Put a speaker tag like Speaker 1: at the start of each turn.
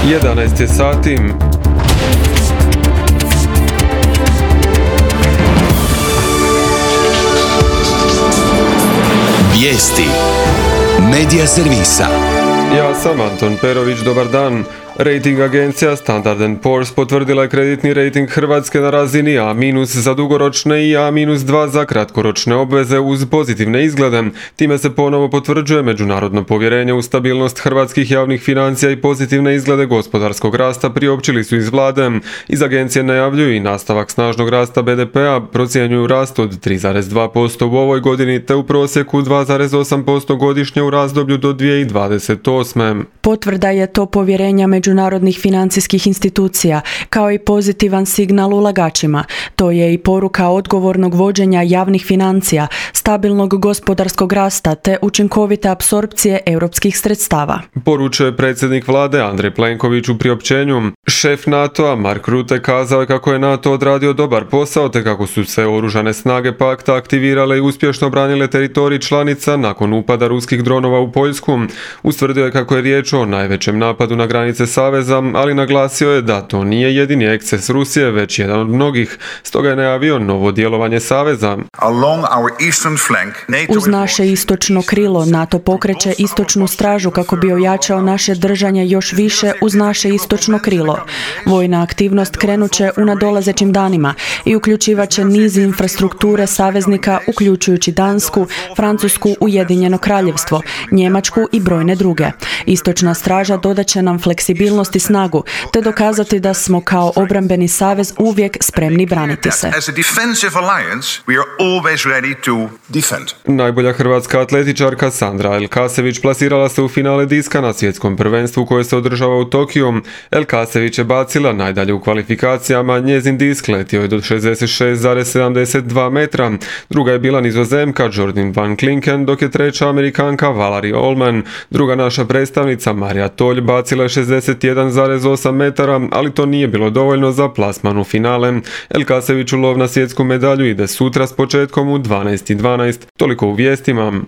Speaker 1: 11 je sati.
Speaker 2: Vijesti Medija servisa.
Speaker 1: Ja sam Anton Perović, dobar dan. Rating agencija Standard & Poor's potvrdila je kreditni rating Hrvatske na razini A- za dugoročne i A-2 za kratkoročne obveze uz pozitivne izglede. Time se ponovo potvrđuje međunarodno povjerenje u stabilnost hrvatskih javnih financija i pozitivne izglede gospodarskog rasta, priopćili su iz vlade. Iz agencije najavljuju i nastavak snažnog rasta BDP-a, procjenjuju rast od 3,2% u ovoj godini te u prosjeku 2,8% godišnje u razdoblju do 2028.
Speaker 3: Potvrda je to povjerenja međunarodnih financijskih institucija, kao i pozitivan signal ulagačima. To je i poruka odgovornog vođenja javnih financija, stabilnog gospodarskog rasta te učinkovite apsorpcije europskih sredstava.
Speaker 1: Poručuje predsjednik vlade Andrej Plenković u priopćenju. Šef NATO-a Mark Rutte kazao je kako je NATO odradio dobar posao te kako su se oružane snage pakta aktivirale i uspješno branile teritorij članica nakon upada ruskih dronova u Poljsku. Ustvrdio je kako je riječ o najvećem napadu na granice Saveza, ali naglasio je da to nije jedini eksces Rusije, već jedan od mnogih. Stoga je najavio novo djelovanje Saveza.
Speaker 3: Uz naše istočno krilo NATO pokreće istočnu stražu kako bi ojačao naše držanje još više uz naše istočno krilo. Vojna aktivnost krenuće u nadolazećim danima i uključivaće niz infrastrukture saveznika, uključujući Dansku, Francusku, Ujedinjeno Kraljevstvo, Njemačku i brojne druge. Istočna straža dodaće nam fleksibilnost i snagu, te dokazati da smo kao obrambeni savez uvijek spremni braniti se.
Speaker 1: Najbolja hrvatska atletičarka Sandra Elkasević plasirala se u finale diska na svjetskom prvenstvu koje se održava u Tokiju. Elkasević je bacila najdalje u kvalifikacijama, njezin disk letio je do 66,72 metra. Druga je bila Nizozemka Jordan Van Klinken, dok je treća Amerikanka Valerie Allman. Druga naša predstavnica Marija Tolj bacila je 61,8 metara, ali to nije bilo dovoljno za plasman u finale. Elkaseviću lov na svjetsku medalju ide sutra s početkom u 12:12. Toliko u vijestima.